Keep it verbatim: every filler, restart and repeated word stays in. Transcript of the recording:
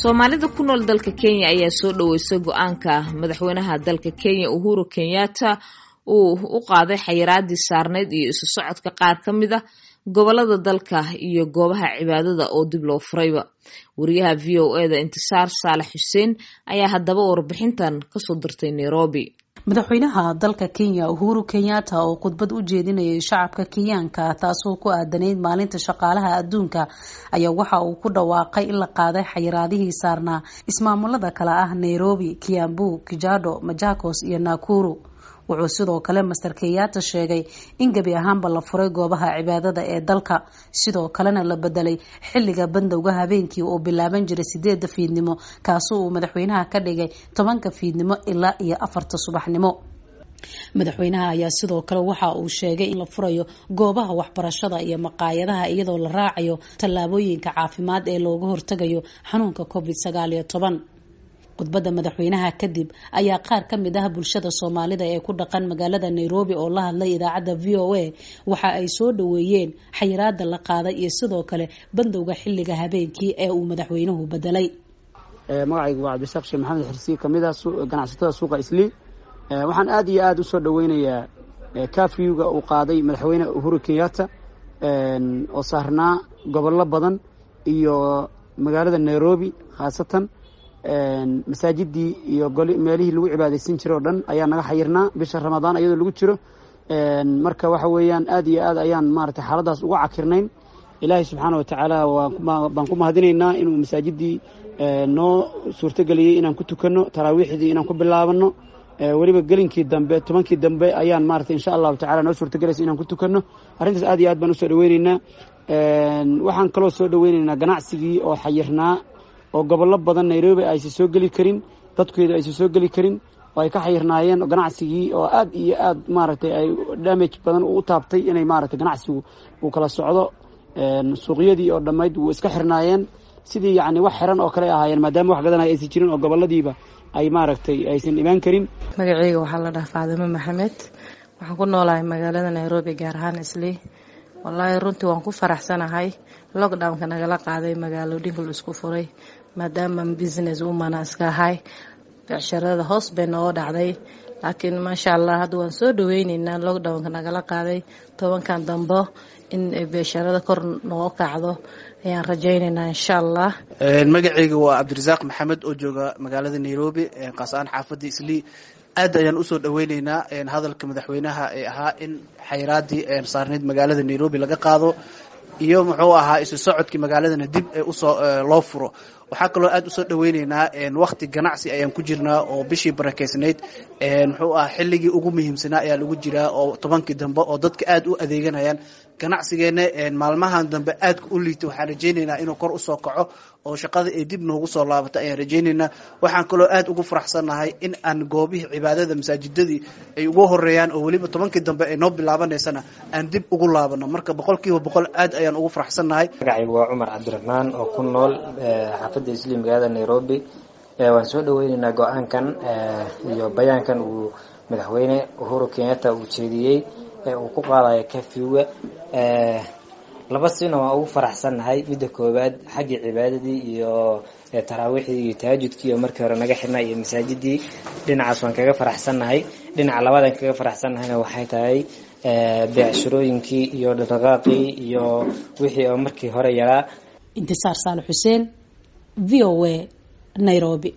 Soomaalida ku nool dalka Kenya ayaa soo dhaweysay go-aanka madaxweynaha dalka Kenya Uhuru Kenyatta uu u qaaday xayiraadii saarneyd iyo isu socodka qaar ka mid a gobolada dalka iyo goobaha cibaadada oo dib loo furayba. Wariyaha V O E da Intisaar Saalax Xuseen ayaa haddaba warbixintan kasoo dirtay Nairobi. Madaxweynaha dalka Kenya Uhuru Kenyatta oo khudbad u jeedinayay shacabka Kenyaanka taasoo ku aadanayd maalinta shaqaalaha adduunka ayaa waxa uu ku dhawaaqay in la qaaday xayiraadihii saarnaa ismaamulada kale ah Nairobi, Kiambu, Kajiado, Machakos iyo Nakuru. Wuxuu sidoo kale Master Kenyatta sheegay in gebi ahaanba la furay goobaha cibaadada ee dalka, sidoo kalena la bedelay xilliga bandowga habeenkii oo bilaaban jiray sideeda fiidnimo, kaasoo uu madaxweynaha ka dhigay tobanka fiidnimo ilaa iyo afarta subaxnimo. Madaxweynaha ayaa sidoo kale waxa uu sheegay in la furayo goobaha waxbarashada iyo maqaayadaha iyadoo la raacayo tallaabooyinka caafimaad ee looga hortagayo xanuunka covid sagaal iyo toban. Khudbadda madaxweynaha kadib ayaa qaar ka mid ah bulshada Soomaalida ee ku dhaqan magaalada Nairobi oo la hadlay idaacadda V O A waxa ay soo dhaweeyeen xayiraada la qaaday iyo sidoo kale bandowga xilliga habeenkii ee uu madaxweynuhu bedelay. Magacaygu waa Cabdishaaq Sheekh Maxamed Xirsi, kamid ah ganacsatada suuqa Islii. Waxaan aad iyo aad u soo dhaweynayaa kafyuga uu qaaday madaxweyne Uhuru Kenyatta oo saarnaa gobollo badan iyo magaalada Nairobi, khaasatan masaajidii iyo meelihii lagu cibaadaysan jiray oo dhan ayaa naga xayirnaa bisha Ramadaan iyadoo lagu jiro. Marka waxa weeyaan aad iyo aad ayaan maaragtay xaaladaas uga cakirnayn. Ilaahay subxaana watacaala baan ku mahadinaynaa inuu masaajidii noo suurtageliyey inaan ku tukanno taraawiixdii, inaan ku bilaabano weliba gelinkii dambe, tobankii dambe ayaan maaragtay insha allahu tacala noo suurtagelaysa inaan ku tukanno. Arrintaas aad iyo aad baan usoo dhaweyneynaa. Waxaan kaloo soo dhaweyneynaa ganacsigii oo xayirnaa oo gobollo badan Nairobi aysan soo geli karin, dadkeedu aysan soo geli karin oo ay ka xayirnaayeen ganacsigii oo aad iyo aad maaragtay ay damage badan u taabtay inay maaragtay ganacsigu uu kala socdo. Suuqyadii oo dhammayd wuu iska xirnaayeen, sidii yacni wax xiran oo kale ahaayeen maadaama wax gadanaya aysan jirin oo gobolladiiba ay maaragtay aysan imaan karin. Magacayga waxaa la dhahaa Faadimo Maxamed, waxaan ku noolahay magaalada Nairobi, gaar ahaan Islii. Wallaahi runtii waan ku faraxsanahay lockdownka nagala qaaday, magaalooyinka la isku furay, maadaama business woman iska ahay, becsharada hoos bay nooga dhacday, laakiin maasha allah hadda waan soo dhaweyneynaa lockdownka nagala qaaday. Tobankan dambo in becsharada kor nooga kacdo ayaan rajayneynaa insha allah. Magacayga waa Cabdirasaaq Maxamed oo jooga magaalada Nairobi, qaas ahaan xaafadda Islii. Aad ayaan usoo dhaweyneynaa hadalka madaxweynaha ee ahaa in xayiraadii saarneyd magaalada Nairobi laga qaado iyo muxuu ahaa isu socodkii magaaladana dib usoo loo furo. Waxaa kaloo aad usoo dhaweyneynaa waqti ganacsi ayaan ku jirnaa oo bishii barakeysnayd muxuu ahaa xilligii ugu muhiimsanaa ayaa lagu jiraa oo tobankii dambe oo dadka aad u adeeganayaan. Ganacsigeena maalmahan dambe aadka u liita, waxaan rajayneynaa inuu kor usoo kaco oo shaqada ay dib noogu soo laabato ayaan rajayneynaa. Waxaan kaloo aad ugu faraxsannahay in aan goobihii cibaadada masaajidadii ay ugu horeeyaan oo weliba tobankii dambe ay noo bilaabanaysana aan dib ugu laabano. Marka boqolkiiba boqol aad ayaan ugu faraxsannahay. Magacaygu waa Cumar Cabdiraxmaan oo ku nool xaafadda Islii magaalada Nairobi. Waan soo dhaweyneynaa go-aankan iyo bayaankan uu madaxweyne Uhuru Kenyatta uu jeediyey ee uu ku qaadayo kafyuga. Laba sina waan ugu faraxsannahay. Midda koowaad, xaggii cibaadadii iyo taraawiixdii iyo tahajudkii oo markii hore naga xirnaa iyo masaajidii, dhinacaas waan kaga faraxsannahay. Dhinaca labaad aan kaga faraxsannahayna waxay tahay beecshirooyinkii iyo dhaqdhaqaaqii iyo wixii oo markii hore yaraa. Intisaar Saalax Xuseen, V O A, Nairobi.